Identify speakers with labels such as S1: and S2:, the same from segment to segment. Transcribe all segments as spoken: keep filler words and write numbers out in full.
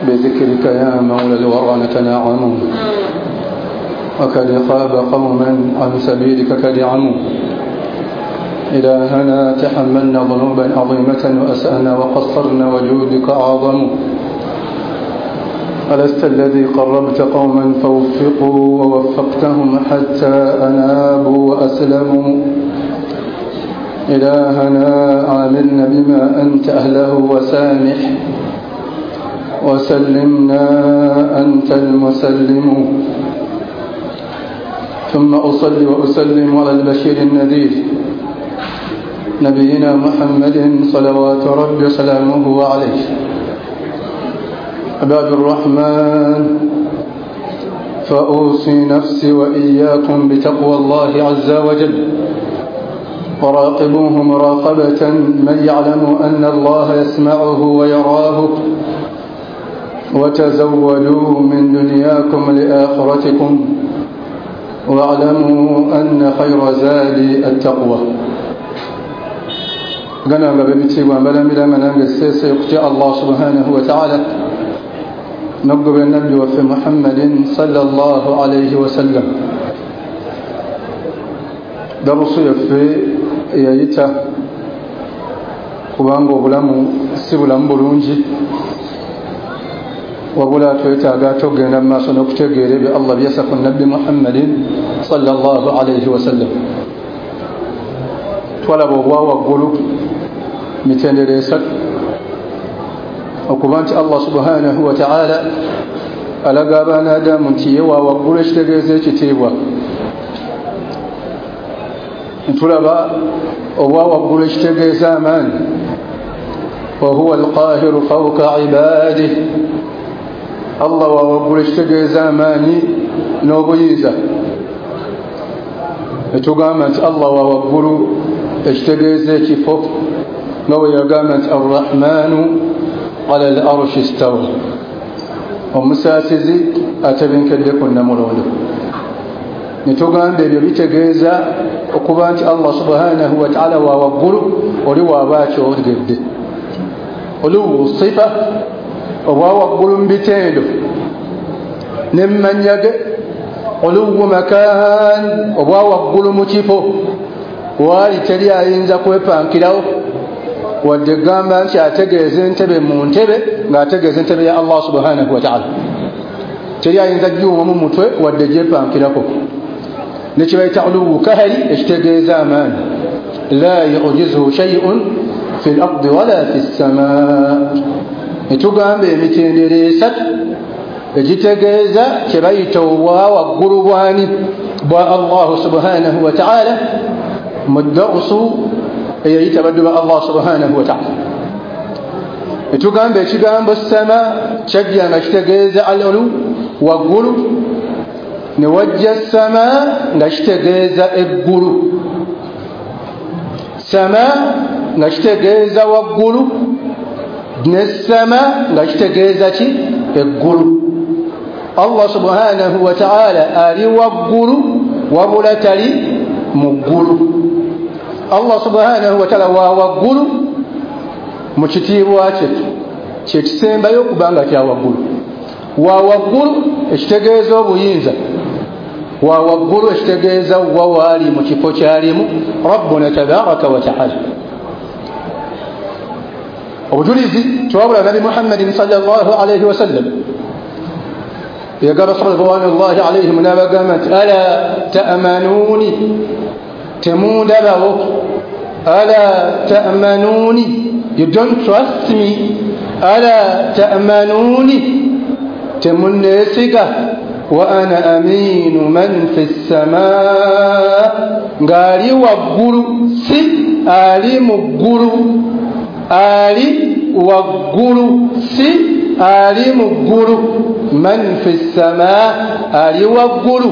S1: بذكرك يا مولى الورى نتنعم، وقد خاب قوما عن سبيلك قد عموا. إلهنا تحملنا ذنوبا عظيمة وأسأنا وقصرنا وجودك أعظم. ألست الذي قربت قوما فوفقوا ووفقتهم حتى أنابوا وأسلموا؟ إلهنا عاملنا بما أنت أهله وسامح وسلمنا أنت المسلم. ثم أصلي وأسلم على البشير النذير نبينا محمد صلوات ربي سلامه عليه. عباد الرحمن، فأوصي نفسي وإياكم بتقوى الله عز وجل، وراقبوه مراقبة من يعلم أن الله يسمعه ويراه، وتزودوا من دنياكم لآخرتكم، واعلموا أن خير زاد التقوى. Gana nga bebitiibwa mbalamira nga nange seese okutya Allah subhanahu wa ta'ala n'okugoberera nabbi waffe Muhammadin sallallahu alayhi wasallam. Darusu yaffe eyayita kubanga obulamu si bulamu bulungi, wabula twetaaga tugenda mu maaso n'okutegeera ebyo Allah byassa ku nabbi Muhammadin sallallahu alayhi wasallam. Twalaba obwa waggulu mitendera esatu, okuba nti Allah subhanahu wa ta'ala alaga abaana Adamu nti ye wa waggulu ekitegeeza ekitiibwa. Ntulaba obwa waggulu ekitegeeza amaanyi, wa huwa alqahiru fawqa ibadihi. Allah wa waggulu ekitegeeza amaanyi n'obuyinza. Etugamba nti Allah wa waggulu ekitegeeza ekifo, nga bwe yagamba nti arrahmanu ala al arshi istawa, omusaasizi atebenkedde ku nnamulondo. Netugamba ebyo bitegeeza okuba nti Allah subhanahu wa ta'ala wa waggulu, oli waaba akyogedde. Oluwu sifa, obwa waggulu mu bitendo ne mu mannya ge. Oluwu makan, obwa waggulu mu kifo waali teri ayinza kwepankirawo, wadde gamba nti ategeeza entebe mu ntebe ng'ategeeza entebe ya Allah subhanahu wa ta'ala. Teri ayinza giwuma mu mutwe wadde gyepankirako. Nekibayita uluwu kahari ekitegeeza amaanyi, la yujizuhu shay'un fi l-ardi wala fi ssamaa. Netugamba emitendera esatu egitegeeza kye bayita obwa waggulu bwani bwa Allah subhanahu wa ta'ala mu darusu eyayita baddu ba Allah subhanahu wa ta'ala. Etugamba ekigambo sama kyajja nga kitegeeza al-ulu waggulu, ne wajja sama nga kitegeeza eggulu. Sama nga kitegeeza waggulu, ne sama nga kitegeeza ki? Eggulu. Allah subhanahu wa ta'ala ali waggulu wabula tali mu ggulu. Allah subhanahu wa ta'ala wa waggulu mu kitiibwa kye kyekisembayo okubanga kya waggulu. Wa waggulu ekitegeeza obuyinza, wa waggulu ekitegeeza wa waali mu kifo kyalimu Rabbuna tabaraka wa ta'ala. Obujulizi twabula Nabi Muhammadin sallallahu alayhi wasallam yagamba ridwanullahi alayhim n'abagamba nti ala ta'manuni, temundabawo. Ala ta'manuni, you don't trust me. Ala ta'manuni, temunneesiga. Wa ana aminu man fi ssamaa, ng'ali waggulu si ali mu ggulu, ali waggulu si ali mu ggulu. Man fi ssamaa, ali waggulu.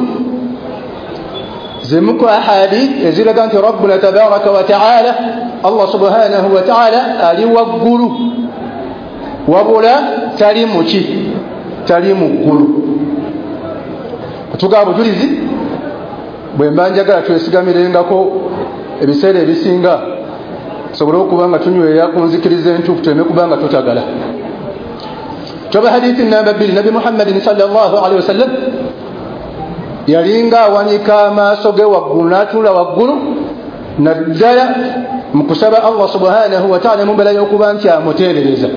S1: Zimu ku ahadith eziraga nti Rabbuna tabaraka wa ta'ala, Allah subhanahu wa ta'ala ali waggulu, wabula tali muki, tali mu ggulu. Tugaba bujulizi bwe mba njagala twesigamirengako ebiseera ebisinga tusobole okuba nga tunywera ku nzikiriza entuufu, tuleme kuba nga tutagala. Toba hadithi namba bbiri, Nabi Muhammadin sallallahu alaihi wasallam yalinga awanika amaaso ge waggulu n'atunula waggulu naddala mu kusaba Allah subhanahu wa ta'ala mu mbeera y'okuba nti amuteebereza,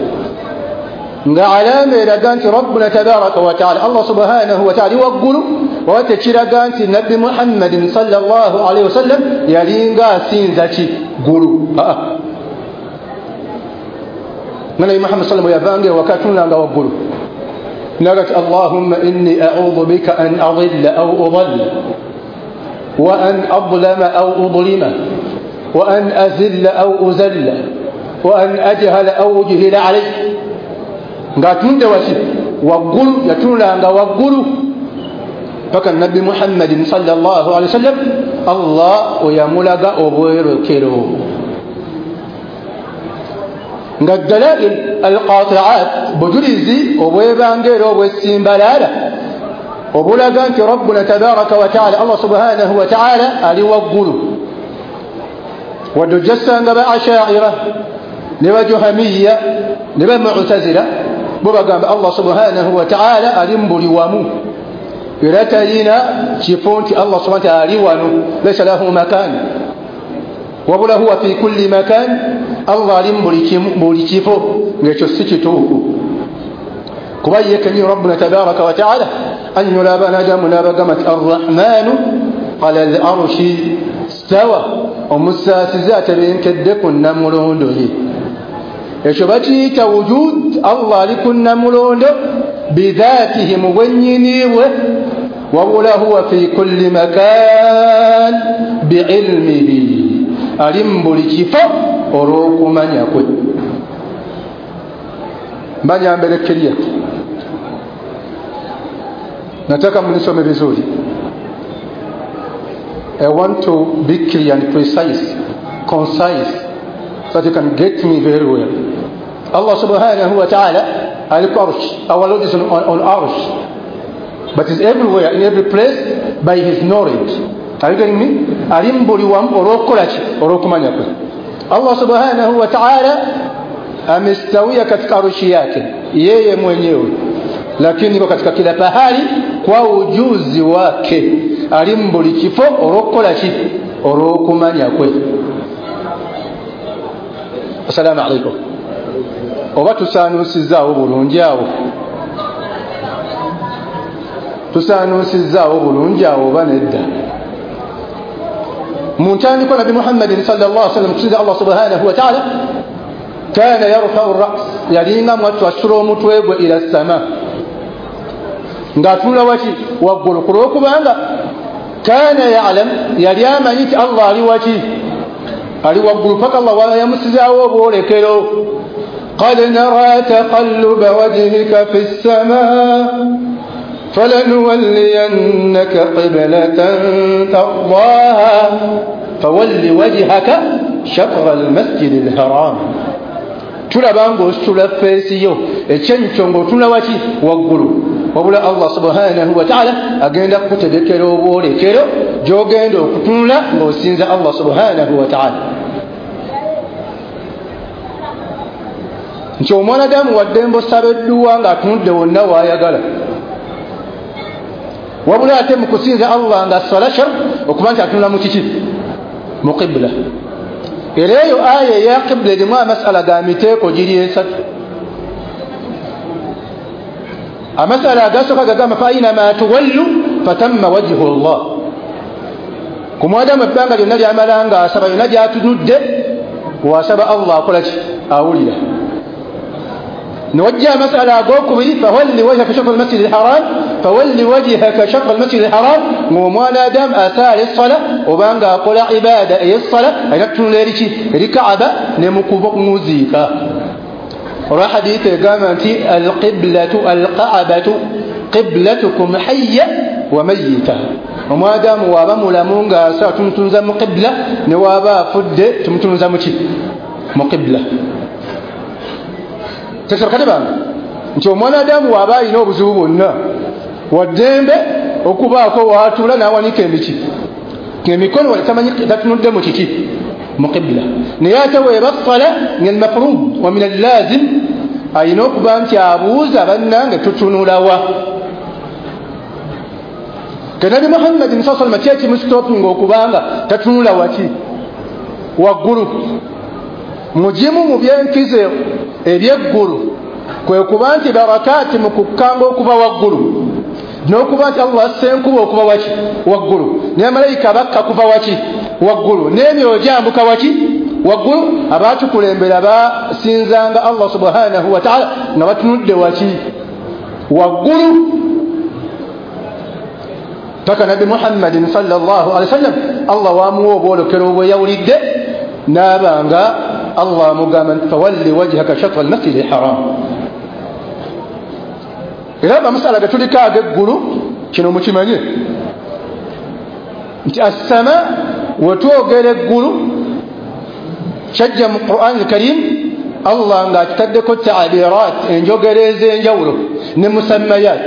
S1: nga alama eraga nti Rabbuna tabaraka wa ta'ala, Allah subhanahu wa ta'ala waggulu, oba tekiraga nti Nabbi Muhammadin sallallahu alaihi wasallam yalinga asinza ki ggulu. Aa, nga Nabbi Muhammad sallallahu alaihi wasallam yavanga ewaka atunulanga waggulu nagati Allahumma inni a'udhu bika an adilla aw udalla wa an adlama aw udlima wa an azilla aw uzalla wa an ajhala aw ujhila alayk. Ng'atunudde waki waggulu, yatunulanga waggulu paka Nabbi Muhammadin sallallahu alaihi wasallam Allah oyamulaga obwerekero. Nga dalail alqati'at, bujulizi obwebanga era obwesimbalaala obulaga nti Rabbuna tabaraka wa ta'ala, Allah subhanahu wa ta'ala ali waggulu. Wadde ojjasanga ba Ashaira ne ba Juhamiya ne ba Mu'tazila bo bagamba Allah subhanahu wa ta'ala ali mu buli wamu, era talina kifo nti Allah subhanahu wa ta'ala ali wano, laysa lahu makan wabula huwa fi kulli makan, Allah ali mu buli kifo. Ng'ekyo si kituufu, kuba ye kennyini Rabbuna tabaraka wa ta'ala annyula abanadamu n'abagamba nti arrahmanu ala al arshi stawa, omusaasizi atebenkedde ku nnamulondo ye. Ekyo bakiyita wujud, Allah ali ku nnamulondo bidhatihi, mu bwennyini bwe, wabula huwa fi kulli makan biilmihi, ali mu buli kifo olw'okumanya kwe. Mbanya mbere clear, nataka mnisome vizuri. I want to be clear and precise, concise, so that you can get me very well. Allah subhanahu wa ta'ala ali ku arsh, our Lord is on, on, on arsh, but is everywhere, in every place, by his knowledge. Are you getting me? Ali mu buli wamu olw'okukola ki? Olw'okumanya kwe. Allah subhanahu wa ta'ala amestawia katika arshi yake yeye mwenyewe, lakini iko katika kila pahali kwa ujuzi wake. Ali mu buli kifo olw'okukola ki? Olw'okumanya kwe. Assalamu alaikum. Oba tusaanuusizaawo bulungi awo, tusaanuusizaawo bulungi awo oba nedda? Mu ntandikwa Nabbi Muhammadin sallallahu alaihi wasallam kusinza Allah subhanahu wa ta'ala kana yarfa'u ar-ra's, yalinga mwattu asula omutwe gwe ila sama, ng'atunula waki? Waggulu. Ku lw'okubanga kana ya'lam, yali amanyi nti Allah ali waki? Ali waggulu, paka Allah yamusizaawo obwolekero. Qad nara taqalluba wajhika fi ssamaa falanuwalliyannaka qiblatan tardaha fawalli wajhaka shatra almasjidi alharam. Tulaba ng'ositula feesi yo ekyenkyo ng'otunula waki? Waggulu. Wabula Allah subhanahu wa ta'ala agenda kukutegekera obwolekero gy'ogenda okutunula ng'osinza Allah subhanahu wa ta'ala. Nti omwanadamu waddembe osaba edduwa ng'atunudde wonna w'ayagala, wabula ate mu kusinza Allah nga sala shar okuba nti atunula mu kiki? Mu qibla. Era eyo aya eya qibla erimu amasala ga miteeko giri esatu. Amasala agasooka gagamba fa ainama tuwallu fatamma wajhu Allah. Ku mwadamu ebbanga lyonna lyamala nga asaba, yonna gy'atunudde wasaba Allah akola ki? Awulira. نوجه مسألة agokubiri fawalli wajhaka shatr al-masjid al-haram, fawalli wajhaka shatr al-masjid al-haram. Ng'omwana adamu asaala essala obanga akola ibada ey'essala alina kutunula eri ki? Eri Kaaba ne mu kumuziika. Olwa hadithi egamba nti alqiblatu alqaabatu qiblatukum hayya wa mayyita. Omwadamu waaba mulamu ng'asala tumutunza mu qibla, ne waaba afudde tumutunza mu ki? Mu qibla. Tekakati bange nti omwanadamu waaba alina obuzibu bwonna waddembe okubaako waatuula n'awanika emiki emikono tamanyi tatunudde mu kiki? Mu qibla. Naye ate weeba ssala min almafrud wa min allazim Alina okuba nti abuuza bannange tutunulawa. Ke Nabi Muhammadin saa salama ki ekimusitopinga okubanga tatunula waki? Waggulu. Mugimu mu byenkizo ebyeggulu kwe kuba nti barakaati mu kukkanga okuva waggulu, n'okuba nti Allah assa enkuba okuva waki? Waggulu, ne malayika bakka kuva waki? Waggulu, n'emyoyo gyambuka waki? Waggulu. Abaatukulembera basinzanga Allah subhanahu wa taala nga batunudde waki? Waggulu. Paka Nabi Muhammadin sallallahu alaihi wasallam Allah wamuwa obwolekero obweyawulidde, n'abanga Allah amugamba nti fawalli wajhaka shatra almasjidi alharam. Era amasala ge tuliko ag'eggulu kino mukimanye nti assama wetwogera eggulu kyajja mu Quran al-Karim Allah ng'akitaddeko ta'birat, enjogera ez'enjawulo ne musammayat.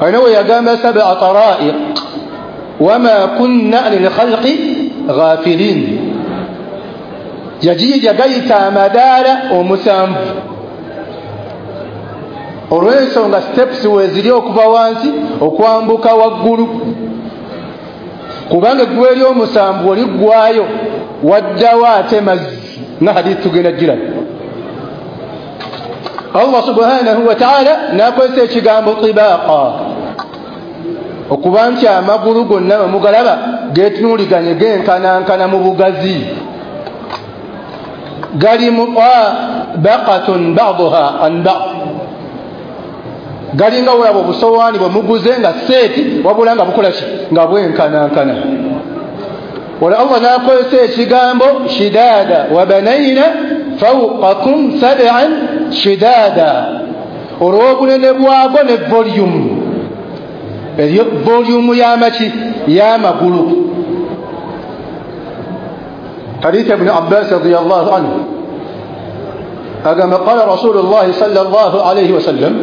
S1: Alina we yagamba sab'a tara'iq wama kunna anil khalqi ghafilin, yagiyiga gayita amadaala omusanvu olw'ensonga steps weeziri okuva wansi okwambuka waggulu, kubanga eggulu ery'omusanvu oliggwayo waddawo ate mazzi nga hadithi tugenda giraba. Allah subhanahu wa ta'ala n'akozesa ekigambo tibaaqa okuba nti amagulu gonna bwe mugalaba geetunuuliganye genkanankana mu bugazi, gali mutabaqatun ba'duha an ba'd, galinga olaba obusowaani bwe muguze nga seeti wabula nga bukola ki? Nga bwenkanankana. Wala Allah n'akozesa ekigambo shidaada, wa banayna fawqakum sab'an shidaada, olw'obunene bwago ne volume, eriyo volume y'amaki? Y'amagulu. Hadith Ibn Abbas radiyallahu anhu agamba qala Rasulullah sallallahu alayhi wasallam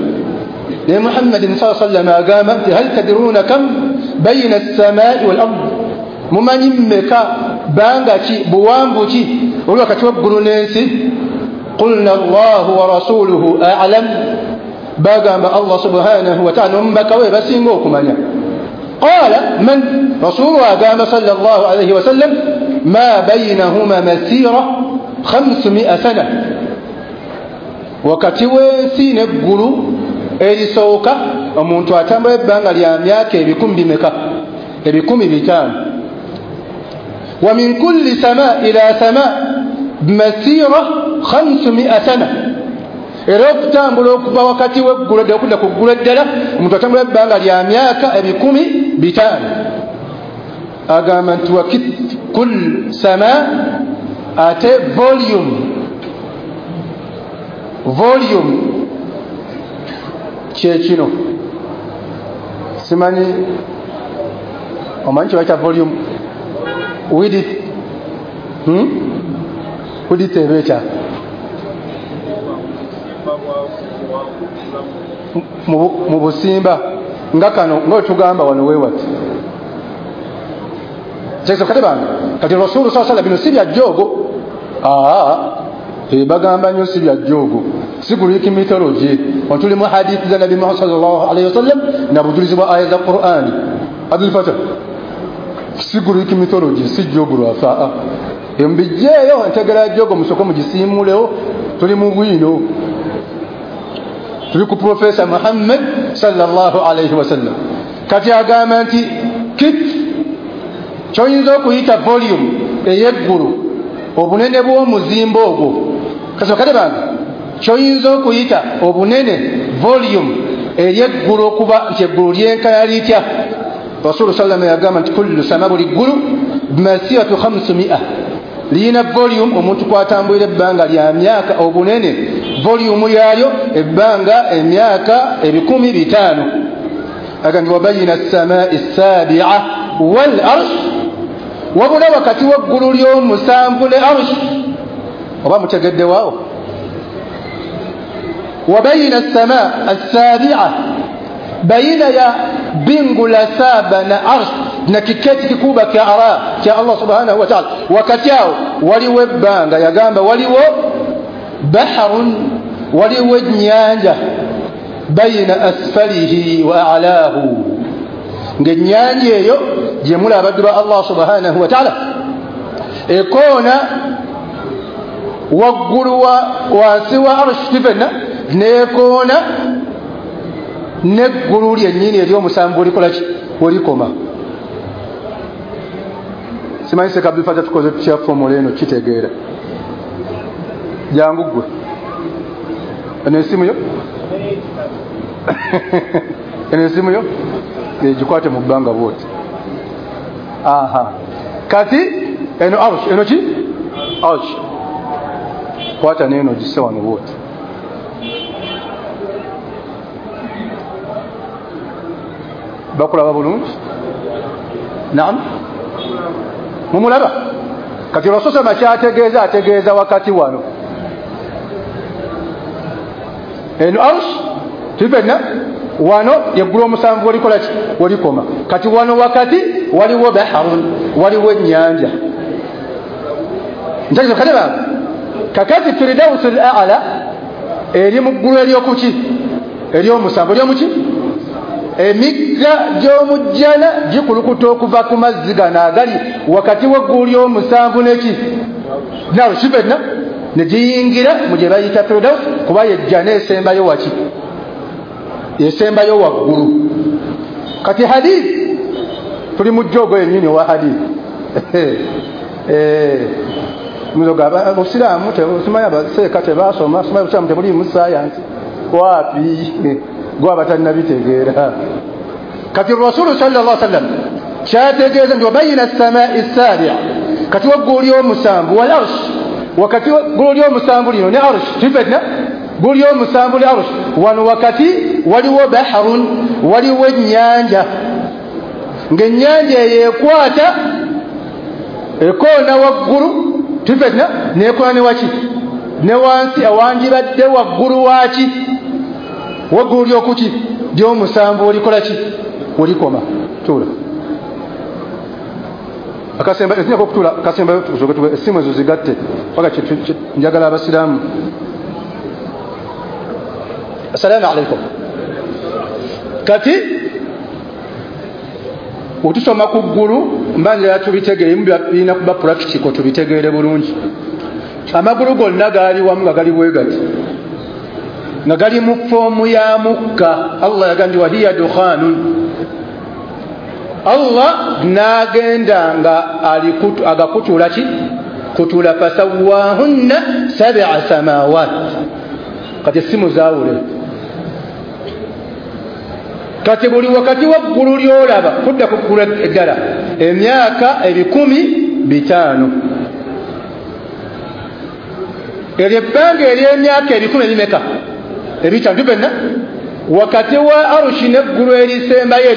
S1: ne Muhammadin sallallahu alayhi wasallam agamba nti hal tadruna kam bayna as-samai wal ard, mumanyi mmeka banga ki buwanvu ki oli wakati w'eggulu n'ensi? Qulna Allahu wa rasuluhu a'lam, bagamba Allah subhanahu wa ta'ala n'omubaka we basinga okumanya. Qala man, rasulu agamba sallallahu alayhi wasallam ma baynahuma masira khamsumia sana, wakati w'ensi n'eggulu erisooka omuntu atambula ebbanga lya myaka ebikumi bimeka? Ebikumi bitaano. Wa min kulli sama ila sama masira khamsumia sana, era okutambula okuva wakati w'eggulu eddala okudda ku ggulu eddala omuntu atambula ebbanga lya myaka ebikumi bitaano. Agamba nti wa kul sama, ate volume volume kyekino simanyi omanyi kyebayita volume width, hmm? Width eba etya? Mu busimba nga kano nga wetugamba wano weewati kati bange kati Rasulu saa sala bino si bya jjoogo, aa bagamba nnyo si bya jjoogo, si Greek mythology. Tuli mu hadithi za Nabi Muhammad sallallahu alayhi wasallam na bujulizi bwa aya za Qur'ani. Abdul Fatah, si Greek mythology, si jjoogo lwafa embijjeeyo entegera ya jjoogo musooke mugisiimulewo. Tuli mu bwino, tuli ku Profesa Muhammad sallallahu alayhi wasallam. Kati agamba nti kit kyoyinza okuyita volume ey'eggulu obunene bw'omuzimbo ogwo, kasokate bange kyoyinza okuyita obunene volume ery'eggulu okuba nti eggulu lyenkana litya? Rasulu sallama yagamba nti kullu sama, buli ggulu masiratu khamsumia, liyina volume omuntu kwatambulira ebbanga lya myaka obunene volume yaalyo ebbanga emyaka ebikumi bitaano. Aga nti wabayina assamai sabia wal arsh, wabula wakati w'eggulu ly'omusanvu ne arsh. Oba mutegeddewaawo? Wabayina assamaa assabia, baina ya bingu la saba na arsh na kiketi kikubwa kya ara kya Allah subhanahu wa ta'ala, wakati awo waliwo ebbanga. Yagamba waliwo baharun Waliwo ennyanja bayina asfalihi wa a'lahu, ng'ennyanja eyo gye mulaba abaddu ba Allah subhanahu wa ta'ala ekoona waggulu wa wansi wa arshi tifenna nekoona neggulu lyennyini ery'omusanvu olikola ki welikoma. Simanyi Sheikh Abdul Fatah tukoze tutya formula eno kitegeera. Jangu ggwe eno esimu yo eno esimu yo egikwate mu bbanga bwoti. Aha, kati eno arsh, eno ki arsh, kwata neno gisse wano bwoti. Bakulaba bulungi? Naam, mumulaba? Kati olwasosoma kyategeeza ategeeza wakati wano eno arsh tifenna wano yeggulu omusanvu olikola ki welikoma. Kati wano wakati waliwo baharun, waliwo ennyanja. Ntegeeza kale bange kakati firdausul a'la eri mu ggulu eryokuki ery'omusanvu eryomuki emigga gy'omujjana gikulukuta okuva ku mazzi gano agali wakati w'eggulu ly'omusanvu neki nalo kifenna ne giyingira mu gye bayita firdaus, kuba yejjana esembayo waki esembayo waggulu. Kati hadith tuli mu jjogo yennyini owa hadith muzoga obusiraamu simanyi abaseeka tebasoma, simanyi obusiraamu tebuliimu sayansi wapi gwe abatannabitegeera. Kati rasulu sallallahu alaihi wasallam kyategeeza nti wabayina assamai sabi'a, kati waggulu ly'omusanvu wal arsh, wakati waggulu ly'omusanvu lino ne arsh tifenna ggulu ly'omusanvu ne arsh wano wakati waliwo baharun, waliwo ennyanja, ng'ennyanja eyo ekwata ekoona waggulu tifenna nekoona ne waki ne wansi awandibadde waggulu waki waggulu lyokuki ly'omusanvu olikola ki olikoma. Tuula akasemba ekinyako okutuula kasemba tusoke essimu ezo zigatte paka njagala abasiraamu. Assalamu alaikum. Kati otusoma ku ggulu mba njagala tubitegeere, birina kuba practical tubitegeere bulungi. Amagulu gonna gaali wamu nga gali bwe gati nga gali mu foomu ya mukka. Allah yagamba nti wahiya dukhanun, Allah n'agenda nga agakutula ki kutula fasawwahunna sab'a samawat. Kati essimu zaawule. Kati buli wakati waggulu ly'olaba kudda ku ggulu eddala emyaka ebikumi bitaano. Eryo ebbanga ery'emyaka ebikumi ebimeka ebitaano tufenna wakati wa arushi n'eggulu erisembayo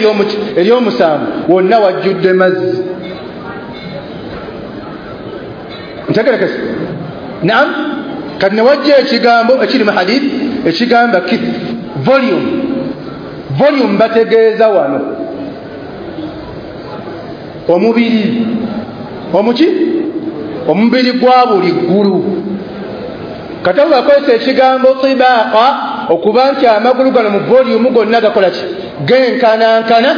S1: ery'omusanvu wonna wajjudde mazzi. Ntegerekese? Naam. Kati ne wajja ekigambo ekiri mu hadith ekigamba kif volume. Volume bategeeza wano omubiri omuki omubiri gwa buli ggulu. Kati Allah akozesa ekigambo tibaqa okuba nti amagulu gano mu volume gonna gakola ki genkanankana,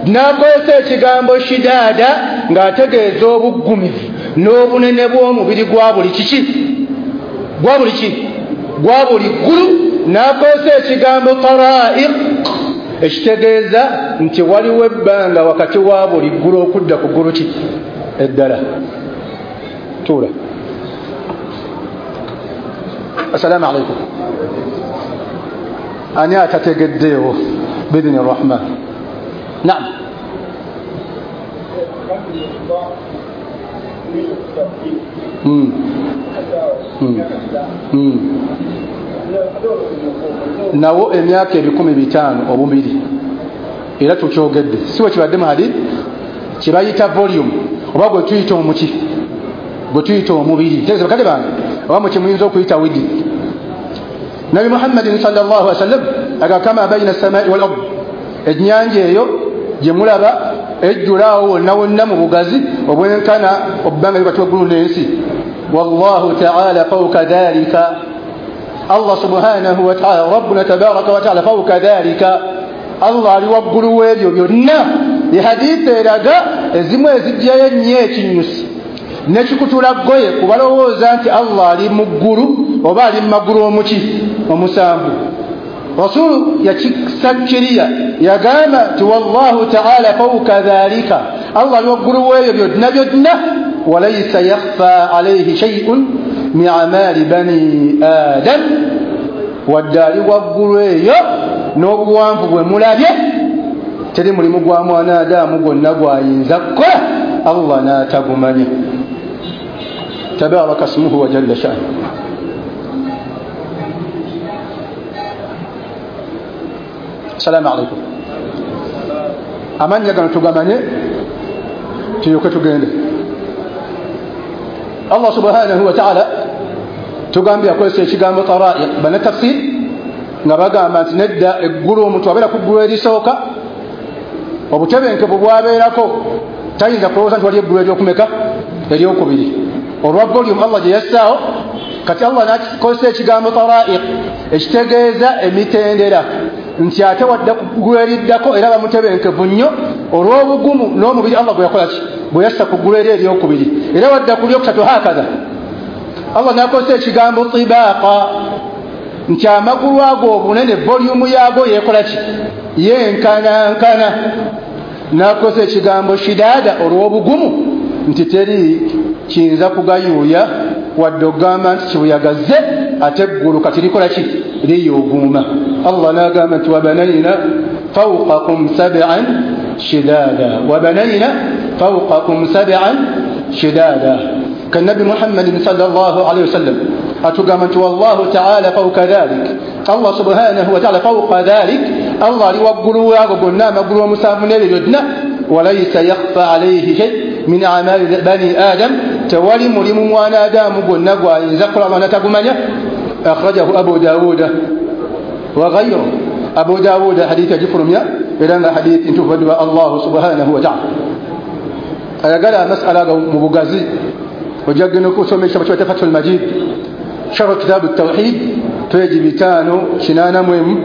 S1: n'akozesa ekigambo shidaada ng'ategeeza obuggumivu n'obunene bw'omubiri gwa buli kiki gwa buli ki gwa buli ggulu, n'akozesa ekigambo taraiq ekitegeeza nti waliwo ebbanga wakati wa buli ggulu okudda ku ggulu ki eddala. Tuula. Assalamu alaikum. Ani atategeddeewo bidhini rahman? Naam. Mm. Mm. Mm. Nawo emyaka ebikumi bitaano obubiri era tukyogedde si we kibadde mu hadith kibayita volume oba gwe tuyita omuki gwe tuyita omubiri. Tegeeza bakadde bange oba mu kimuyinza okuyita widi. Nabi Muhammadin sallallahu alaihi wasallam aga kama baina as-samai wal ard, ennyanja eyo gye mulaba ejjulaawo wonna wonna mu bugazi obwenkana obbanga wakati w'eggulu n'ensi. Wallahu ta'ala fawqa dhalika, Allah subhanahu wa ta'ala rabbuna tabaraka wa ta'ala fawqa dhalika, Allah ali waggulu w'ebyo byonna. Ehadithi eraga ezimu ezijjayo ennyo ekinyusi nekikutula ggoye kubalowooza nti Allah ali mu ggulu oba ali mu magulu omuki omusanvu. Rasulu yakisakkiriya yagamba nti wallahu ta'ala fawqa dhalika, Allah ali waggulu w'ebyo byonna byonna. Walaysa yakhfa alayhi shay'un min amali bani adam, wadde ali waggulu eyo n'obuwanvu bwe mulabye teri mulimu gwa mwana Adamu gwonna gwayinza kukola Allah n'atagumanya. Tabaraka smuhu wa jalla sha'nu. Assalamu alaikum. Amannya gano tugamanye tulyoke tugende. Allah subhanahu wa ta'ala tugambye akozesa ekigambo taraiq bana tafsir nga bagamba nti nedda eggulu omuntu abeera ku ggulu erisooka obutebenkevu bwabeerako tayinza kulowooza nti wali eggulu eryokumeka eryokubiri olwa volume Allah gye yassaawo. Kati Allah n'akozesa ekigambo taraiq ekitegeeza emitendera nti ate wadda ku ggulu eriddako era bamutebenkevu nnyo olw'obugumu n'omubiri Allah gwe yakola ki bwe yassa ku ggulu eri eryokubiri era wadda ku lyokusatu hakadha. Allah n'akozesa ekigambo tibaaqa nti amagulu ago obunene volume yaago yeekola ki yenkanankana. N'akozesa ekigambo shidaada olw'obugumu nti teri kiyinza kugayuuya wadde okugamba nti kibuyagazze ate eggulu kati likola ki liyuguuma. Allah n'agamba nti wabanayna fawqakum sab'an shidaada, wabanayna fawqakum sab'an shidaada. Kannabi Muhammadin sallallahu alayhi wasallam atugamba nti wallahu ta'ala fawqa dhalik, Allah subhanahu wa ta'ala fawqa dhalik, Allah ali waggulu waago gonna amagulu omusanvu n'ebyo byonna. Walaysa yakhfa alayhi shay min amali bani adam, tewali mulimu mwana Adamu gwonna gwayinza kukola Allah n'atagumanya. Akhrajahu Abu Dawuda wa ghayruhu. Abu Dawuda hadithi agifulumya era nga hadithi ntuufu edduba Allah subhanahu wa ta'ala. Ayagala amasala ago mu bugazi ojja kugenda okusoma ekitabo kya Fathul Majid sharh kitabu tawhid peji bitaano kinaana mu emu.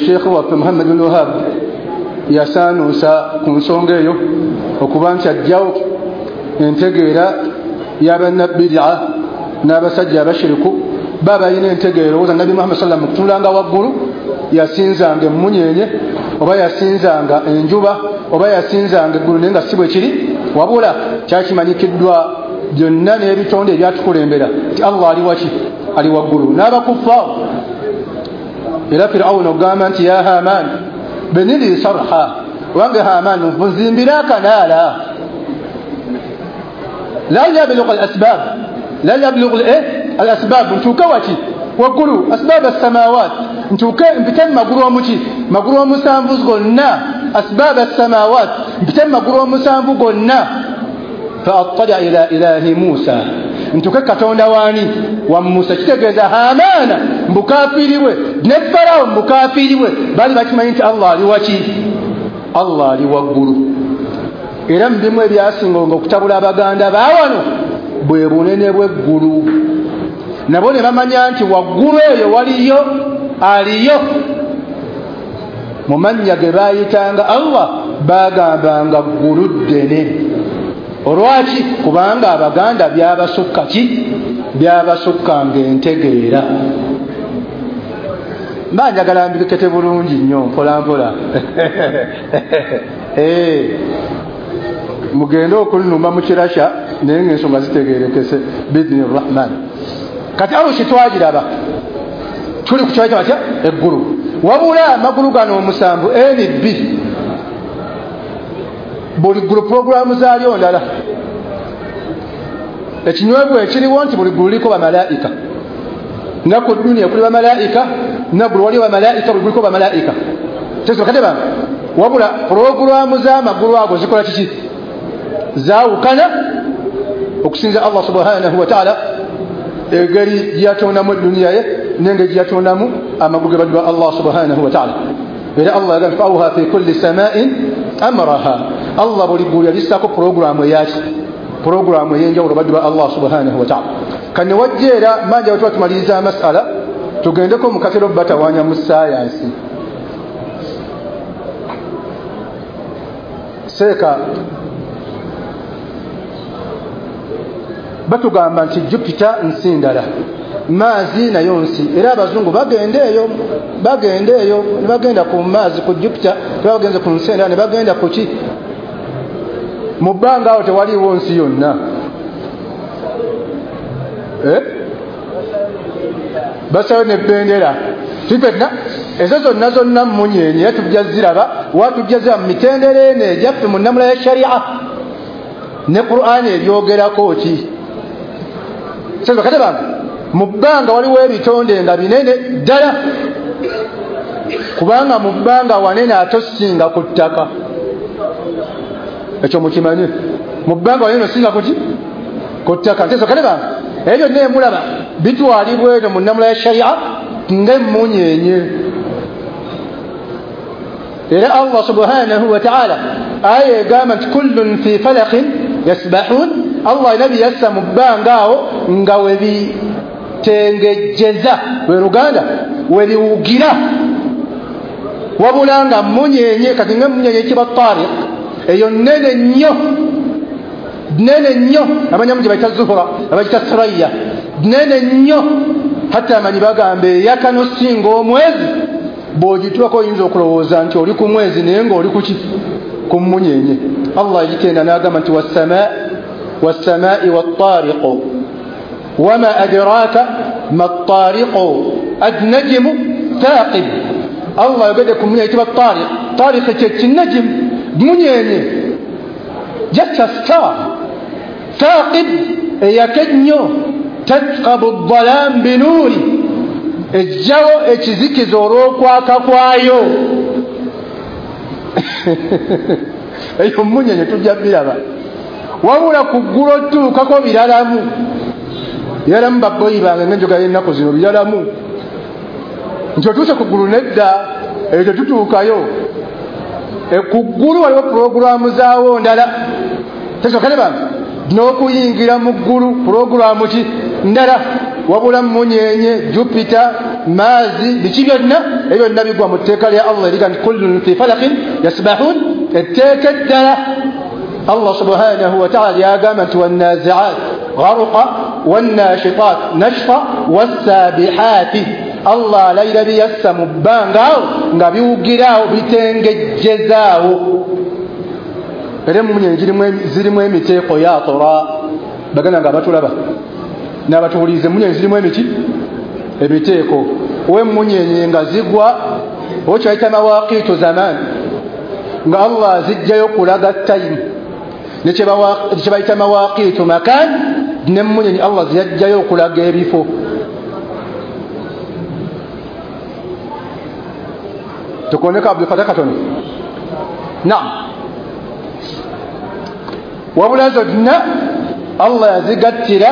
S1: Sheikh waffe Muhammad bin Wahab yasaanuusa ku nsonga eyo okuba nti ajjawo entegeera y'abannabbidia n'abasajja abashiriku baba balina entegeera. Owooza Nabbi Muhammad sallam okutunulanga waggulu yasinzanga emmunyenye oba yasinzanga enjuba oba yasinzanga eggulu, naye nga si bwe kiri, wabula kyakimanyikiddwa byonna n'ebitonde ebyatukulembera nti Allah ali waki ali waggulu n'abakuffaawo. Era Firawuna ogamba nti ya Haman benili sarha, wange Haman nzimbira akanaala la yablughu al-asbab, la yablughu al-asbab, ntuuke waki waggulu asbab as-samawat, ntuuke mpite mu magulu omuki magulu omusanvu gonna, asbab as-samawat mpite mu magulu omusanvu gonna. Fa attala ila ilahi Musa, ntuuke Katonda waani wa Musa. Kitegeeza Hamaana mbukafiiri bwe ne Farawo mbukafiiri bwe baali bakimanyi nti Allah ali waki Allah ali waggulu. Era mu bimu ebyasinga okutabula Abaganda baawano bwe bunene bw'eggulu, nabo ne bamanya nti waggulu eyo waliyo aliyo. Mu mannya ge baayitanga Allah baagambanga ggulu ddene. Olwaki? Kubanga Abaganda byabasukka ki byabasukkanga entegeera. Mba njagala mbikete bulungi nnyo mpola mpola. Mugende okunuma mu kirasha naye ng'ensonga zitegeerekese biidhini Rahman. Kati arushi twagiraba tuli ku kyayita batya eggulu, wabula amagulu gano omusanvu N B buli ggulu puroguramu zaalyo ndala. Ekinywevu ekiriwo nti buli ggulu liko bamalayika, nga ku duniya kuli bamalayika, naggulu waliwo bamalayika, buli guliko bamalayika tekate bange. Wabula puroguramu z'amagulu ago zikola kiki zaawukana okusinza Allah subhanahu wa ta'ala engeri gyeyatondamu eduniya ye n'engeri gyeyatondamu amagulu ge baddu Allah subhanahu wa ta'ala. Era Allah yagamba fauha fi kulli sama'in amraha, Allah buli ggulu yalissaako puroguramu eyaki puroguramu ey'enjawulo baddu ba Allah subhanahu wa ta'ala. Kane wajja era manja wetuba tumaliriza amasala Tugendeko mukatero batawanya mu science. Seeka batugamba nti Jupiter nsi ndala, Maazi nayo nsi, era abazungu bagenda eyo bagenda eyo ne bagenda ku Maazi ku Jupiter, tebagenze ku nsi endala ne bagenda ku ki mu bbanga awo tewaliwo nsi yonna. Eh? Basayo ne bendera tifetna ezo zonna zonna mmunyenye era tujja ziraba watujja ziraba mu mitendera eno egyaffe mu nnamula ya sharia ne Qur'ani ebyogerako ki. Sasa kate bange mu bbanga waliwo ebitonde nga binene ddala, kubanga mu bbanga wanene ate osinga ku ttaka. Ekyo mukimanye, mu bbanga wanene osinga kuki ku ttaka. Sasa kate bange ebyo byonna emulaba bitwalibwa eno mu nnamula ya sharia ng'emmunyenye. Era Allah subhanahu wa ta'ala aya egamba nti kullun fi falaqin yasbahun. Allah nabi yassa mu bbanga awo nga webitengejjeza lwe Luganda webiwugira, wabula nga mmunyenye. Kati ng'emmunyenye kiba tariq eyo nnene nnyo nene nnyo, abanyamu gye bayita Zuhura, abayita Suraya, nene nnyo. Hatta amanyi bagamba eyaka n'osinga omwezi, bw'ogituwako oyinza okulowooza nti oli ku mwezi naye ng'oli kuki ku mmunyenye. Allah yitenda n'agamba nti wassamaa wassamaa'i wattariqu wama adraaka mattariqu annajmu thaqib. Allah yogedde ku mmunyenye eyitibwa tariq. Tariq kye kinnajimu, mmunyenye, just a star. Thaqib eyaka ennyo, tatqabu ddalaam binuuri, ejjawo ekizikiza olw'okwaka kwayo. Eyo mmunyenye tujja biraba. Wabula ku ggulu otuukako biralamu biralamu, babboyi bange ng'enjogera y'ennaku zino biralamu nti otuuse ku ggulu nedda, eyo tetutuukayo. Ku ggulu waliwo pulogulaamu zaawo ndala. Tesokale bange n'okuyingira mu ggulu pulogulaamu ki ndala, wabula mmunyenye, Jupiter, Maazi, biki byonna ebyo byonna bigwa mu tteeka lya Allah eriga nti kullun fi falaqin yasbahun. Etteeka eddala Allah subhanahu wa ta'ala lyagamba nti wannazi'at gharqa wannashitat nashta wassabihaati. Allah alayira biyassa mu bbanga awo nga biwugiraawo bitengejjezaawo. Era emmunyenye zirimu emiteeko ya tora, baganda nga abatulaba n'abatuwuliriza, emmunyenye zirimu emiti ebiteeko. Ow'emmunyenye nga zigwa okyayita mawaqiitu zaman, nga Allah azijjayo kulaga time, ne kye bayita mawaqiitu makan, n'emmunyenye Allah ziyajjayo okulaga ebifo. Tukoneka Abdul Fatah katono. Naam. Wabula zonna Allah yazigattira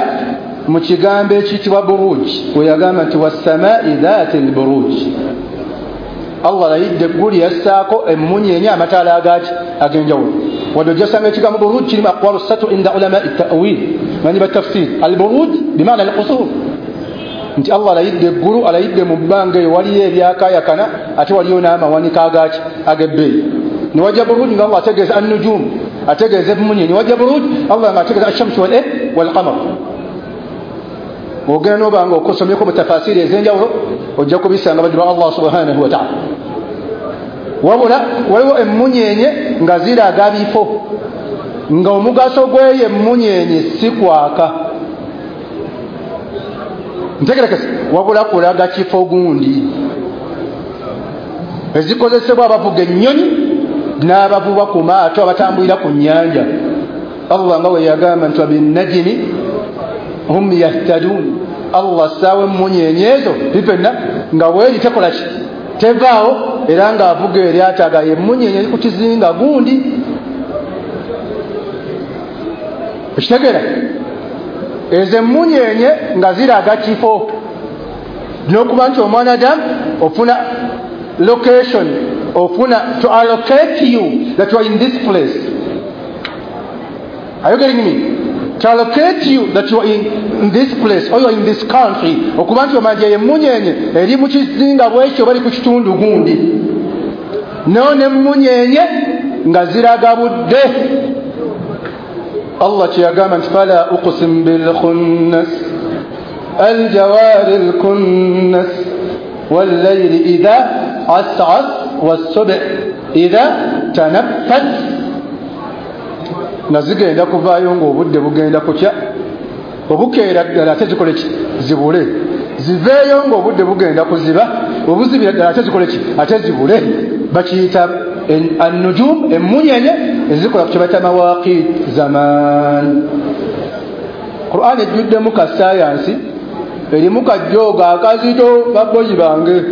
S1: mu kigambo ekiyitibwa buruj, we yagamba nti wassamaa'i dhaati lburuj. Allah alayidde eggulu yassaako emmunyenye amataala agaki ag'enjawulo. Wadde ojja ssanga ekigambo buruj kirimu aqwalu ssatu inda ulamai ta'wil, manyi batafsir. Alburuj bimaana alqusur, nti Allah alayidde eggulu, alayidde mu bbanga eyo waliyo ebyakaayakana ate waliyo n'amawanika agaki ag'ebbeeyi. Niwajja buruj nga Allah ategeeza annujum, ategeeza emmunyenye. Niwajja buruj Allah nga ategeeza ashamsu wal walqamar. Ogenda n'oba nga okosomyeko mu tafasiri ez'enjawulo ojja kubisanga baddu ba Allah subhanahu wa ta'ala. Wabula waliwo emmunyenye nga ziraga bifo, nga omugaso gw'eyo emmunyenye si kwaka, ntegerekese, wabula kulaga kifo gundi. Ezikozesebwa abavuga ennyonyi n'abavuba ku maato abatambulira ku nnyanja. Allah nga we yagamba nti wabinnajimi hum yahtadun. Allah assaawo emmunyenye ezo bifenna nga weeri tekola ki tevaawo, era ng'avuga eryato aga emmunyenye eri ku kizinga gundi. Ekitegeera ezo emmunyenye nga ziraga kifo, n'okuba nti omwana Adamu ofuna location, ofuna to allocate you that you are in this place. Are you getting me? To allocate you that you are in, in this place or you are in this country, okuba nti omanja emmunyenye eri mu kizinga bwekyo bali ku kitundu gundi, no nemmunyenye nga ziraga budde. Allah kyeyagamba nti fala uqsim bilkhunnas aljawari lkunnas wallayli idha as'as wassubh idha tanaffas, nga zigenda kuvaayo ng'obudde bugenda kutya, obukeera ddala ate zikole ki? Zibule. Ziveeyo ng'obudde bugenda kuziba, obuzibira ddala ate zikole ki? Ate zibule. Bakiyita annujum, emmunyenye ezikola ku kye bayita mawaqit zaman. Qur'an ejjuddemu ka sayansi, erimu kajjooga akazito baboyi bange.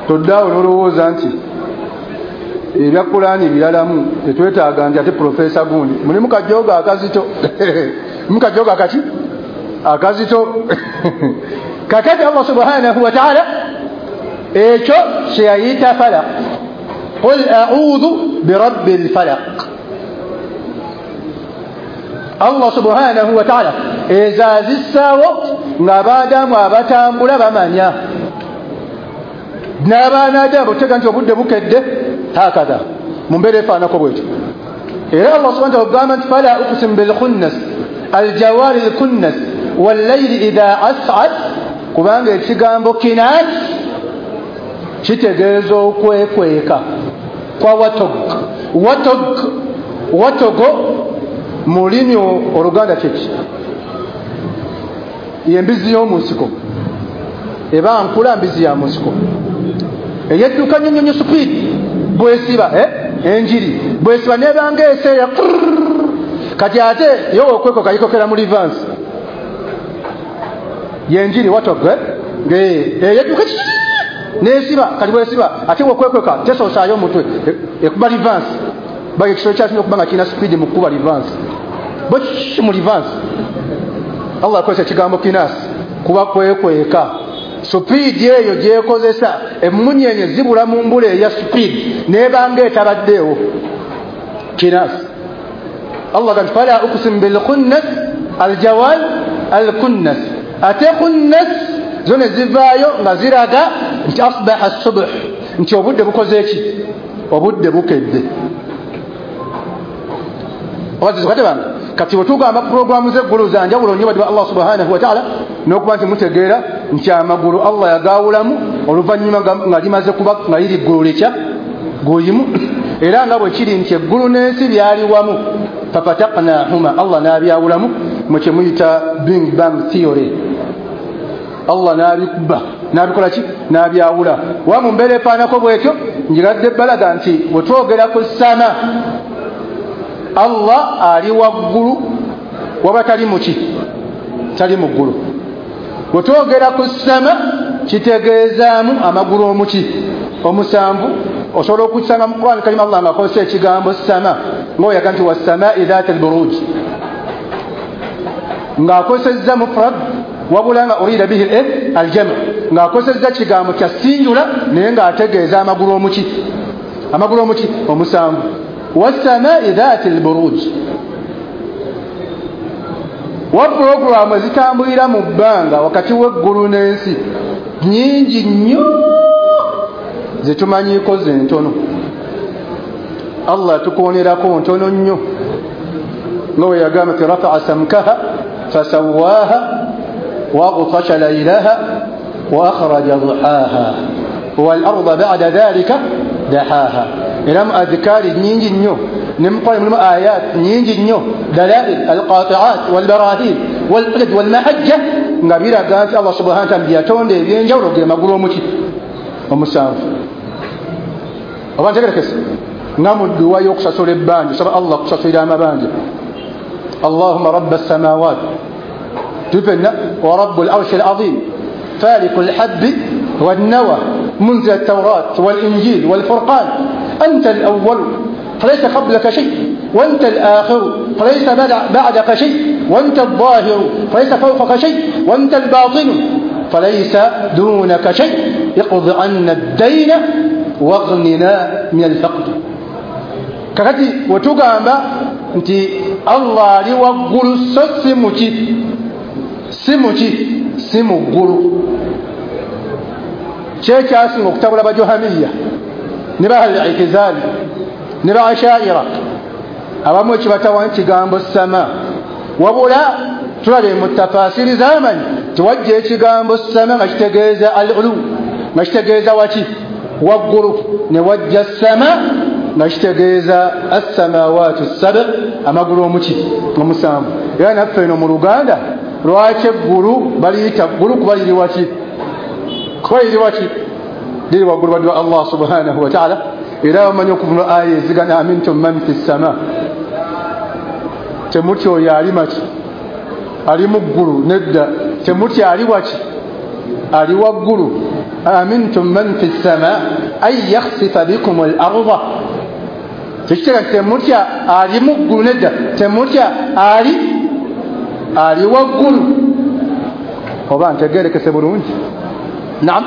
S1: Toddaawo n'olowooza nti ebya Qur'ani biralamu, tetwetaaga nti ate profesa gundi. Mulimu kajjooga akazito mulimu kajjooga akaki akazito. Kakati Allah subhanahu wa ta'ala ekyo kyeyayita falaq, qul a'udhu birabbil falaq. Allah subhanahu wa ta'ala ezaazissaawo ng'abaadamu abatambula bamanya, n'abaana botega nti obudde bukedde hakadha mu mbeera efaanako bwetyo. Era Allah subhanahu wa ta'ala agamba nti fala uqsimu bilkhunnas aljawari lkunnas wallayli idha as'ad, kubanga ekigambo kinas kitegeeza okwekweka kwa watog. Watog, watogo mu lulimi Oluganda kyeki? Y'embizi y'omu nsiko, eba nkula mbizi ya mu nsiko eyedduka nnyo nnyo speed bwesiba eh? Enjiri bwesiba nebanga eseera, kati ate yo okwekoka yikokera mu reverse yenjiri watogwe eyedduka nesiba, kati bwesiba ate okwekweka tesoosaayo omutwe ekuba reverse. Baga ekisolo kyasinga okuba nga kirina speed mu kukuba reverse, bo mu reverse. Allah akozesa ekigambo kinasi kuba kwekweka. Speed eyo gyekozesa emmunyenye zibula mu mbula eya speed nebanga etabaddeewo kinasi. Allah gamba fala uqsimu bilkhunnas aljawal alkunnas, ate khunnas zo ne zivaayo nga ziraga nti asbaha subh, nti obudde bukoze ki? Obudde bukedde. Kati bwetugamba puroguramu z'eggulu za njawulo nnyo badde Allah subhanahu wa ta'ala, n'okuba nti mutegeera nti amagulu Allah yagaawulamu oluvannyuma nga limaze kuba nga liri ggulu likya guyimu, era nga bwe kiri nti eggulu n'ensi byali wamu, fafataqnahuma, Allah n'abyawulamu mu kye muyita Big Bang Theory. Allah n'abikuba n'abikola ki? N'abyawula. Wa mu mbeera efaanako bwetyo njigadde balaga nti bwe twogera ku ssama, Allah ali waggulu waba tali muki? Tali mu ggulu. Bwe twogera ku ssama kitegeezaamu amagulu omuki? Omusanvu. Osobola okukisanga mu Qur'an Karim Allah ng'akozesa ekigambo ssama ng'oyaga nti wassamaa'i dhaati al-buruj, ng'akozesezza mufrad wabula nga urida bihi al-jam', ng'akozesezza kigambo kya sinjula naye ng'ategeeza amagulu omuki? Amagulu omuki? Omusanvu. Wassamaa'i dhaati al-buruj, wa puroguramu ezitambulira mu bbanga wakati w'eggulu n'ensi nnyingi nnyo zetumanyiiko ze ntono. Allah tukonerako ntono nnyo nga bwe yagamba nti rafa'a samkaha fasawwaha wa aghtasha laylaha wa akhraja duhaha wal arda ba'da dhalika dahaha. Era mu adhikaari nnyingi nnyo ne mu Qur'an mulimu ayat nnyingi nnyo, dalail alqati'at walbarahin walhujaj walmahajja, nga biraga nti Allah subhanahu wa ta'ala yatonda ebyenjawulo ge magulu omuki? Omusanvu. Oba ntegerekese nga mu dduwa y'okusasula ebbanja, osaba Allah kusasulira amabanja, Allahumma rabba as-samawat tufenna wa rabbul arshi al-azim faliqu al-habbi wan-nawa munzil at-tawrat wal-injil wal-furqan anta al-awwal falaysa qablaka shay wa anta al-akhir falaysa ba'daka shay wa anta adh-dhahir falaysa fawqaka shay wa anta al-batin falaysa dunaka shay iqdi 'anna ad-dayna waghnina min al-faqr. Kakati wetugamba Nti Allah ali waggulu, so si muki, si muki, si mu ggulu. Kyekyasinga okutabula bajohamiya ne ba al-i'tizali ne ba ashaira, abamu ekibatawa kigambo sama. Wabula tulale mu tafasiri z'amanyi tewajja ekigambo sama nga kitegeeza al-ulu, nga kitegeeza waki? Waggulu. Ne wajja sama nga kitegeeza as-samawatu sab, amagulu omuki omusanvu. Era naffe eno mu Luganda lwaki eggulu baliyita ggulu? Kuba liri waki? Kuba liri waki? Liri waggulu badwa Allah subhanahu wa ta'ala. Era bamanyi okuvuna aya ezigana amintum man fi ssama, temutya oyo ali maki? Ali mu ggulu. Nedda, temutya ali waki? Ali waggulu. Amintum man fi ssama an yakhsifa bikum al-arda, tekitegeeza temutya ali mu ggulu. Nedda, temutya ali ali waggulu. Oba ntegerekese bulungi? Naam.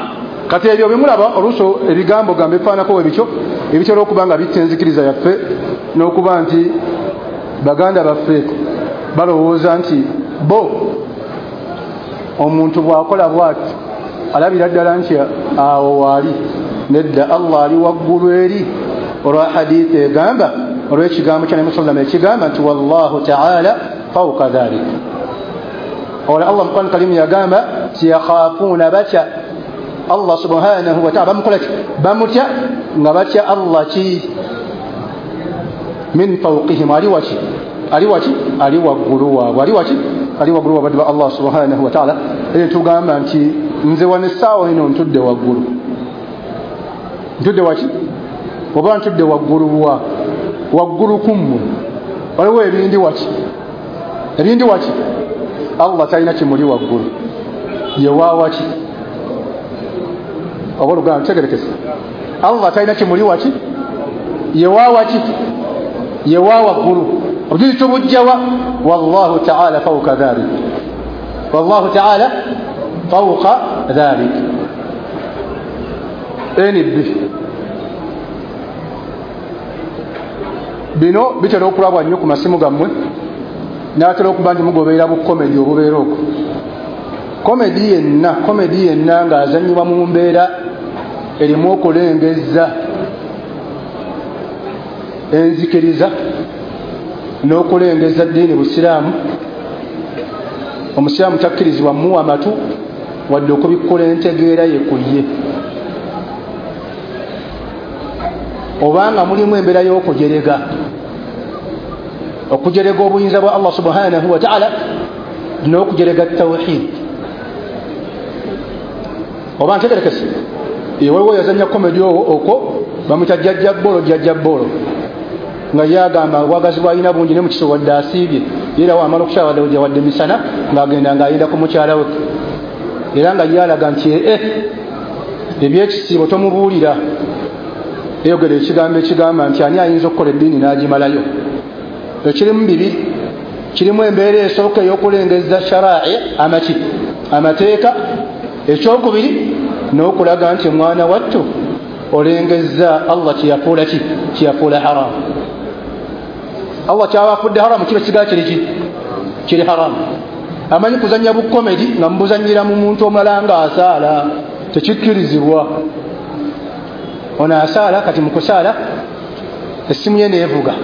S1: Kati ebyo bimulaba oluusi ebigambo gambe bifaanako bwe bityo, ebitera okuba nga bitta enzikiriza yaffe, n'okuba nti baganda baffe balowooza nti bo omuntu bw'akola bw'ati alabira ddala nti awo waali. Nedda, Allah ali waggulu eri, olwa hadithi egamba, olw'ekigambo kya Nabi sallallahu alayhi ekigamba nti wallahu ta'ala fawqa dhalik. Olwa Allah mu Qur'an Karim yagamba nti yakhafuuna, batya Allah subhanahu wa ta'ala, bamukola ki? Bamutya nga batya Allah ki? Min fawqihim, ali waki? Ali waki? Ali waggulu waabwe. Ali waki? Ali waggulu waabwe ba Allah subhanahu wa ta'ala. Era tugamba nti nze wano essaawa eno ntudde waggulu. Ntudde waki? Oba ntudde waggulu wa waggulu kummwe, waliwo ebindi waki? Ebindi waki? Allah talina kimuli waggulu, ye wa waki? Oba oluganda ntegerekese, Allah talina kimuli waki? Ye wa waki? Ye wa waggulu. Obujulizi tubujjawa? Wallahu ta'ala fawqa dhalik, wallahu ta'ala fawqa dhalik. N B bino bitera okulabwa nnyo ku masimu gammwe, n'atera okuba nti mugoberera bu komedi obubeera okwo. Komedi yenna, komedi yenna ng'azannyibwa mu mbeera erimu okulengezza enzikiriza n'okulengeza ddiini busiraamu, omusiraamu takkirizibwa muwa matu wadde okubikkula entegeera ye ku ye. Obanga mulimu embeera y'okujerega, okujerega obuyinza bwa Allah subhanahu wa ta'ala n'okujerega tawhid. Oba ntegerekese, waliwo yazannya komedi okwo bamuyita jjajja bbolo, jjajja bbolo, nga yagamba obwagazi bw'alina bungi ne mu kiso wadde asiibye, era wamala okukyala wadde wadde misana ng'agenda ng'ayenda ku mukyala we, era nga yalaga nti eh ebyekisiibo tomubuulira. Eyogera ekigambo ekigamba nti ani ayinza okukola eddiini n'agimalayo? Ekirimu bibiri, kirimu embeera esooka ey'okulengeza sharai amaki amateeka, ekyokubiri n'okulaga nti mwana wattu olengeza Allah kyeyafuula ki? Kyeyafuula haramu. Allah kyabafudde haramu kiba kisigala kiri ki? Kiri haramu. Amanyi kuzannya bukomedi nga mubuzannyira mu muntu omulala ng'asaala, tekikkirizibwa. Ono asaala, kati mu kusaala essimu ye neevuga,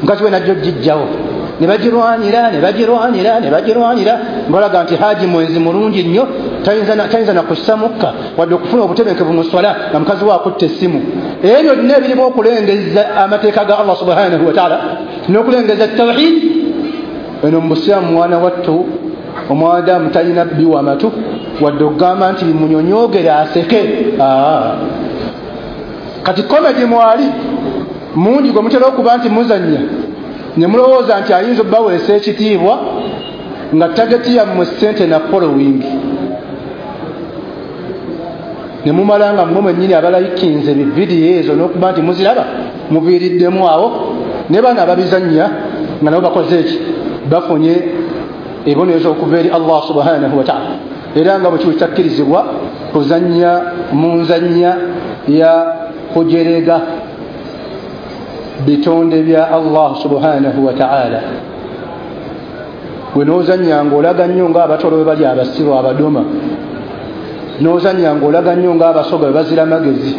S1: mukazi we najja ogijjawo, ne bagirwanira ne bagirwanira ne bagirwanira, ng'olaga nti haji mwenzi mulungi nnyo, tayinza na kussa mukka wadde okufuna obutebenkevu mu swala nga mukazi we akutte essimu. Ebyo byonna ebirimu okulengeza amateeka ga Allah subhanahu wa ta'ala n'okulengeza tawhid. Eno mu busiraamu mwana wattu omwadamu talina biwa matu wadde okugamba nti bimunyonyoogere aseke. Kati komedi mwali mungi gwe mutera okuba nti muzannya ne mulowooza nti ayinza obbaweesa ekitiibwa nga tageti yammwe ssente na following, ne mumala nga mmwe mwennyini abalayikinze bividiyo ezo n'okuba nti muziraba muviiriddemu awo, ne bano ababizannya nga nabo bakoze eki? Bafunye ebibonerezo okuva eri Allah subhanahu wa ta'ala. Era nga bwe kiba kitakkirizibwa kuzannya mu nzannya ya kujerega. Bitonde bya Allah subhanahu wa ta'ala. Gwe n'ozannya ng'olaga nnyo ng'abatolo bwe bali abasiru abadoma, n'ozannya ng'olaga nnyo ng'abasoga bwe bazira magezi,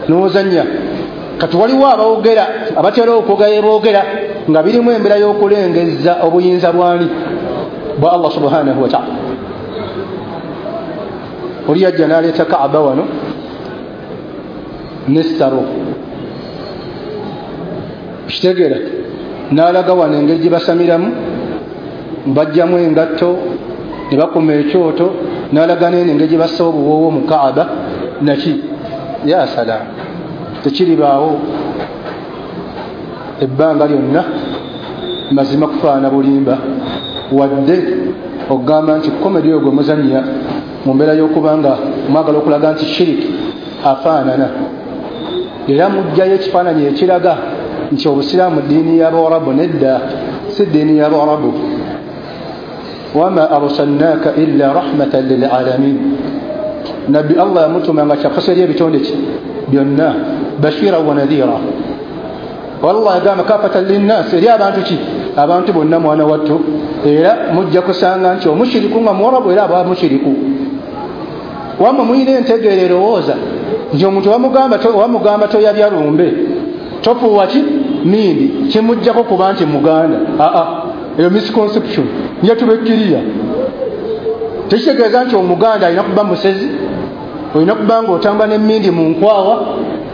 S1: n'ozannya. Kati waliwo abawogera abatera okwogera boogera nga birimu embeera y'okulengezza obuyinza bwani bwa Allah subhanahu wa ta'ala. Oli yajja n'aleeta Kaaba wano n'essaro, kitegeera, n'alaga wano engeri gye basamiramu, bajjamu engatto ne bakuma ekyoto, n'alaga n'eno engeri gye bassa obuwoowo mu Kaaba naki. Ya salaamu, tekiribaawo ebbanga lyonna mazima kufaana bulimba, wadde okugamba nti komedi oyo gwe muzannya mu mbeera y'okubanga mwagala okulaga nti shiriki afaanana, era mujjayo ekifaananyi ekiraga nti obusiraamu ddiini y'Abawarabu. Nedda, si ddiini y'Abawarabu. Wama arsalnaaka illa rahmatan lilalamin, Nabbi Allah yamutuma nga kyakasa eri ebitonde ki byonna, bashira wa nadhira. Wallah yagamba kafatan linnas, eri abantu ki abantu bonna mwana wattu. Era mujja kusanga nti omushiriku nga muwarabu era aba mushiriku. Wamma muyina entegeera erowooza nti omuntu wamugamba wamugamba toyabya lumbe, tofuuwa ki mindi, kimuggyako kuba nti muganda. Aa, eyo misconception nja tubekkiriya. Tekitegeeza nti omuganda alina kuba musezi, olina kuba nga otamba n'emmindi mu nkwawa,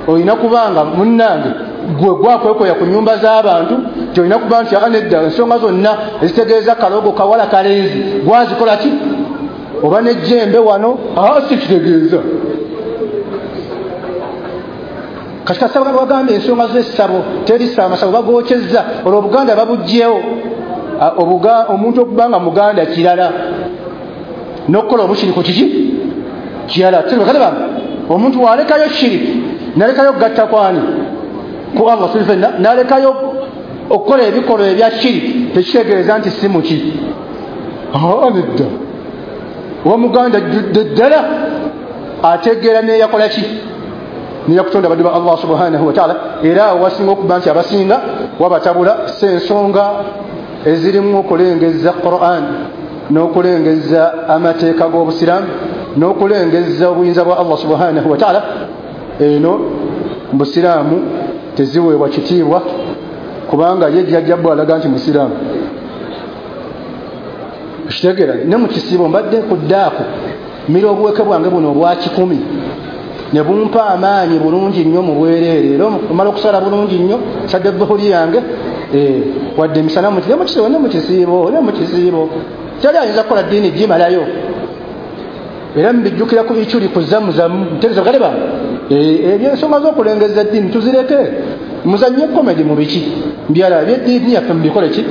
S1: olina kuba nga munnange gwe gwakwekoya ku nyumba z'abantu, nti olina kuba nti nedda ensonga zonna ezitegeeza kalogo kawala kalenzi gwazikola ki oba n'ejjembe wano. Aa, si kitegeeza. Kati kasaba bagamba ensonga z'essabo terisa amasabo bagokyezza, olwo obuganda babuggyewo. Omuntu okuba nga muganda kirala n'okukola obushiriku kiki kirala. Omuntu walekayo shiriki nalekayo okugatta kwani ku Allah subhanahu, nalekayo okukola ebikolwa ebya shiriki, tekitegeeza nti si muki. Aa, nedda, oba muganda ajjudde ddala ategeera neyakola ki neyakutonda abaddu ba Allah subhanahu wa ta'ala. Era awo wasinga okuba nti abasinga wabatabula si ensonga ezirimu okulengezza Qur'an n'okulengezza amateeka g'obusiraamu n'okulengezza obuyinza bwa Allah subhanahu wa ta'ala. Eno busiraamu teziweebwa kitiibwa kubanga ye jjajja bwe alaga nti musiraamu. Kitegeera, ne mu kisiibo mbadde nkuddaako mmira obuweke bwange buno obwa kikumi ne bumpa amaanyi bulungi nnyo mu bwereere, era omala okusala bulungi nnyo sadde dhuhuri yange, wadde emisana ne mu kisiibo ne mu kisiibo ne mu kisiibo kyali ayinza kukola ddiini gimalayo. Era mbijjukira ku ikyuli ku zamuzamu ntegeeza bakadde bange, ebyensonga z'okulengeza eddiini tuzireke, muzannye komedi mu biki mbyala ebyeddiini yaffe mubikole ki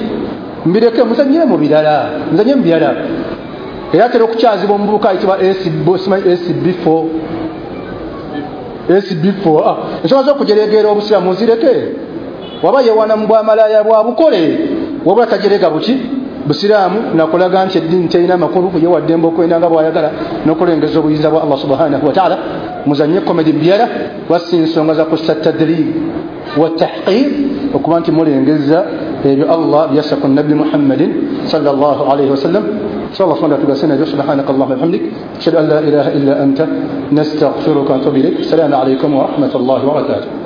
S1: mbireke, muzannyire mu birala, muzannye mu birala. Era atera okukyazibwa omuvubuka ayitibwa S B four S B four. Ensonga z'okujereegera obusiraamu muzireke, waba yewana mu bwamalaaya bwa bukole, wabula tajerega buki busiraamu nakulaga nti eddiini terina makulu, ye waddembe okwenda nga bw'ayagala n'okulengeza obuyinza bwa Allah subhanahu wa ta'ala. Muzannye komedi byala wasi ensonga za kussa tadrib wa tahqir, okuba nti mulengeza ebyo Allah byassa ku Nabbi Muhammadin sallallahu alayhi wasallam. Sallallahu alayhi wa sallam. Subhanaka Allahumma wa bihamdik, ashhadu an la ilaha illa anta, nastaghfiruka wa atubu ilayk. Assalamu alaykum wa rahmatullahi wa barakatuh.